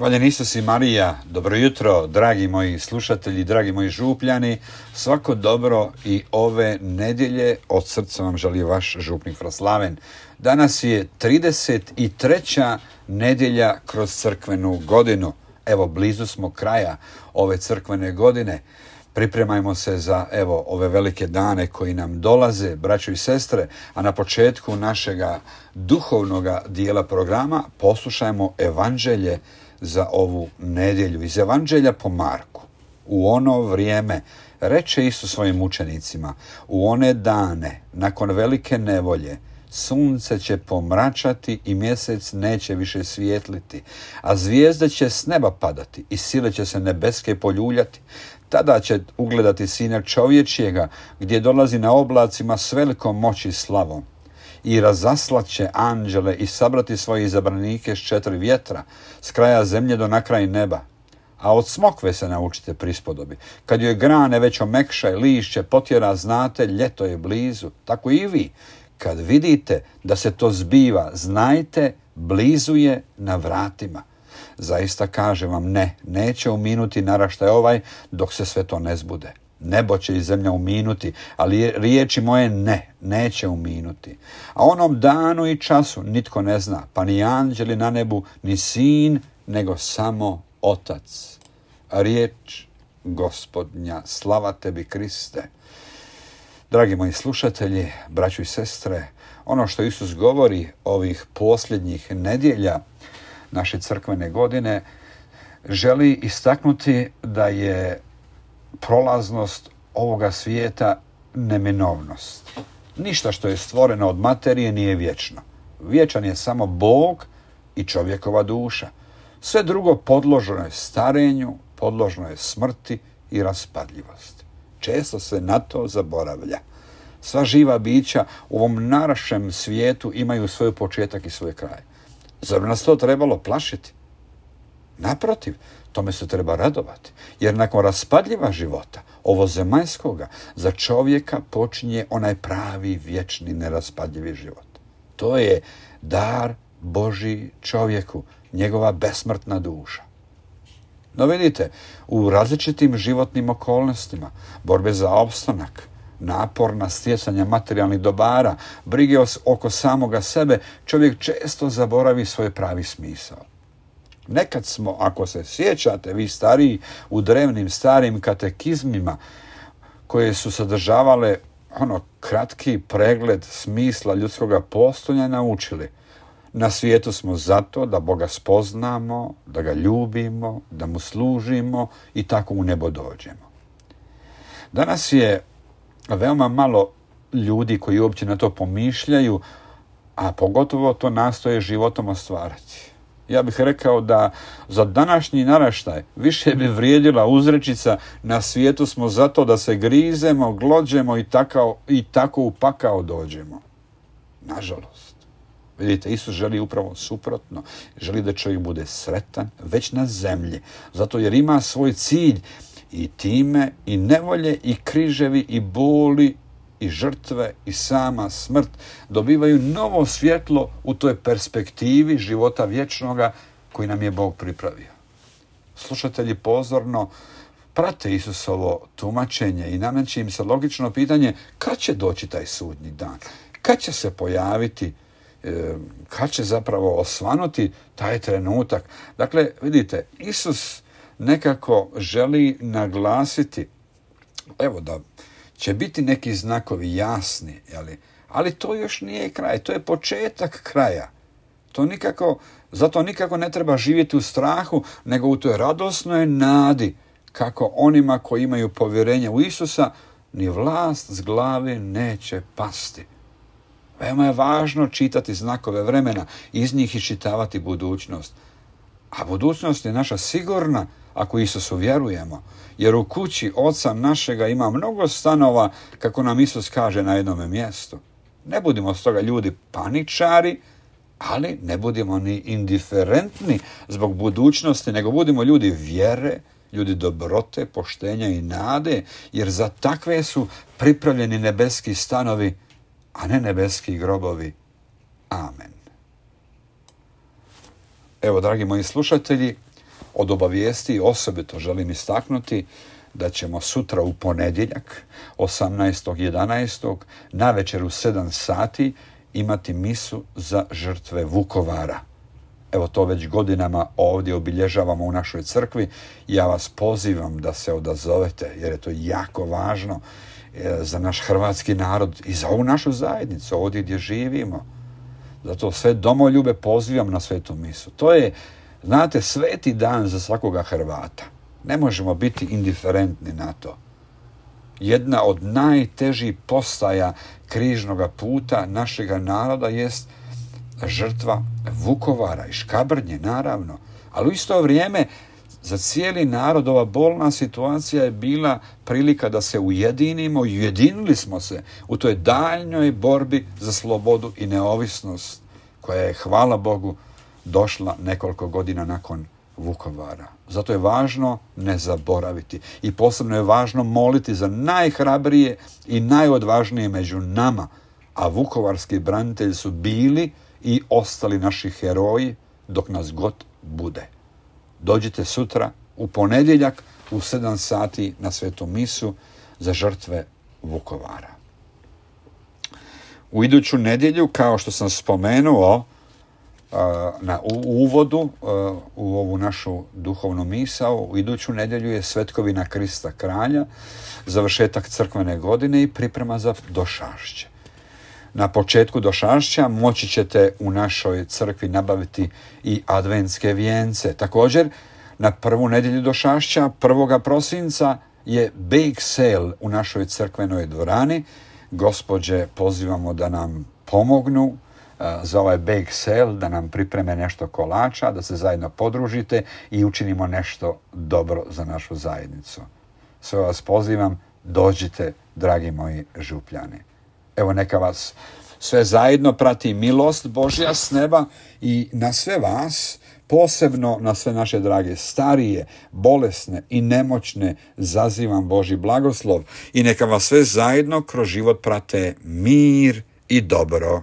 Hvaljen Isus i Marija, dobro jutro, dragi moji slušatelji, dragi moji župljani, svako dobro i ove nedjelje od srca vam želi vaš župnik Fraslaven. Danas je 33. nedjelja kroz crkvenu godinu. Evo, blizu smo kraja ove crkvene godine. Pripremajmo se za ove velike dane koji nam dolaze, braćo i sestre, a na početku našega duhovnoga dijela programa poslušajmo evanđelje za ovu nedjelju. Iz evanđelja po Marku. U ono vrijeme reče Isus svojim učenicima: u one dane, nakon velike nevolje, sunce će pomračati i mjesec neće više svijetliti, a zvijezde će s neba padati i sile će se nebeske poljuljati. Tada će ugledati Sina čovječjega, gdje dolazi na oblacima s velikom moći i slavom. I razaslat će anđele i sabrati svoje izabranike s 4 vjetra, s kraja zemlje do na kraj neba. A od smokve se naučite prispodobi. Kad joj grane već omekša i lišće potjera, znate, ljeto je blizu. Tako i vi, kad vidite da se to zbiva, znajte, blizu je na vratima. Zaista kažem vam, neće uminuti naraštaj ovaj dok se sve to ne zbude. Nebo će i zemlja uminuti, ali riječi moje neće uminuti. A onom danu i času nitko ne zna, pa ni anđeli na nebu, ni sin, nego samo Otac. Riječ Gospodnja, slava tebi Kriste. Dragi moji slušatelji, braćo i sestre, ono što Isus govori ovih posljednjih nedjelja naše crkvene godine, želi istaknuti da je prolaznost ovoga svijeta neminovnost. Ništa što je stvoreno od materije nije vječno. Vječan je samo Bog i čovjekova duša. Sve drugo podložno je starenju, podložno je smrti i raspadljivosti. Često se na to zaboravlja. Sva živa bića u ovom našem svijetu imaju svoj početak i svoj kraj. Zar nas to trebalo plašiti? Naprotiv, tome se treba radovati, jer nakon raspadljiva života, ovozemaljskoga, za čovjeka počinje onaj pravi, vječni, neraspadljivi život. To je dar Božji čovjeku, njegova besmrtna duša. No vidite, u različitim životnim okolnostima, borbe za opstanak, naporna stjecanja materijalnih dobara, brige oko samoga sebe, čovjek često zaboravi svoj pravi smisao. Nekad smo, ako se sjećate, vi stariji, u drevnim starim katekizmima koje su sadržavale kratki pregled smisla ljudskoga postojanja naučili: na svijetu smo zato da Boga spoznamo, da ga ljubimo, da mu služimo i tako u nebo dođemo. Danas je veoma malo ljudi koji uopće na to pomišljaju, a pogotovo to nastoje životom ostvariti. Ja bih rekao da za današnji naraštaj više bi vrijedila uzrečica: na svijetu smo zato da se grizemo, glođemo i tako u pakao dođemo. Nažalost. Vidite, Isus želi upravo suprotno. Želi da čovjek bude sretan već na zemlji, zato jer ima svoj cilj. I time i nevolje i križevi i boli i žrtve i sama smrt dobivaju novo svjetlo u toj perspektivi života vječnoga koji nam je Bog pripravio. Slušatelji pozorno prate Isusovo tumačenje i nameće im se logično pitanje: kad će doći taj sudnji dan? Kad će se pojaviti? Kad će zapravo osvanuti taj trenutak? Dakle, vidite, Isus nekako želi naglasiti da će biti neki znakovi jasni, ali to još nije kraj, to je početak kraja. Zato nikako ne treba živjeti u strahu, nego u toj radosnoj nadi kako onima koji imaju povjerenje u Isusa ni vlast s glave neće pasti. Veoma je važno čitati znakove vremena, iz njih iščitavati budućnost. A budućnost je naša sigurna ako Isusu vjerujemo, jer u kući Oca našega ima mnogo stanova, kako nam Isus kaže na jednome mjestu. Ne budimo stoga ljudi paničari, ali ne budimo ni indiferentni zbog budućnosti, nego budimo ljudi vjere, ljudi dobrote, poštenja i nade, jer za takve su pripravljeni nebeski stanovi, a ne nebeski grobovi. Amen. Evo, dragi moji slušatelji, od obavijesti osobito želim istaknuti da ćemo sutra u ponedjeljak 18.11. navečer u 7 sati imati misu za žrtve Vukovara. Evo to već godinama ovdje obilježavamo u našoj crkvi. Ja vas pozivam da se odazovete jer je to jako važno za naš hrvatski narod i za ovu našu zajednicu ovdje gdje živimo. Zato sve domoljube pozivam na svetu misu. To je, znate, sveti dan za svakoga Hrvata. Ne možemo biti indiferentni na to. Jedna od najtežih postaja križnoga puta našega naroda jest žrtva Vukovara i Škabrnje, naravno. Ali u isto vrijeme za cijeli narod ova bolna situacija je bila prilika da se ujedinimo i ujedinili smo se u toj daljnjoj borbi za slobodu i neovisnost koja je, hvala Bogu, došla nekoliko godina nakon Vukovara. Zato je važno ne zaboraviti i posebno je važno moliti za najhrabrije i najodvažnije među nama, a vukovarski branitelji su bili i ostali naši heroji dok nas god bude. Dođite sutra u ponedjeljak u 7 sati na svetu misu za žrtve Vukovara. U iduću nedjelju, kao što sam spomenuo u uvodu u ovu našu duhovnu misao, u iduću nedjelju je Svetkovina Krista Kralja, završetak crkvene godine i priprema za Došašće. Na početku Došašća moći ćete u našoj crkvi nabaviti i adventske vijence. Također, na prvu nedjelju Došašća, 1. prosinca, je bake sale u našoj crkvenoj dvorani. Gospođe pozivamo da nam pomognu za ovaj bake sale, da nam pripreme nešto kolača, da se zajedno podružite i učinimo nešto dobro za našu zajednicu. Sve vas pozivam, dođite, dragi moji župljani. Evo neka vas sve zajedno prati milost Božja s neba i na sve vas, posebno na sve naše drage starije, bolesne i nemoćne, zazivam Božji blagoslov i neka vas sve zajedno kroz život prate mir i dobro.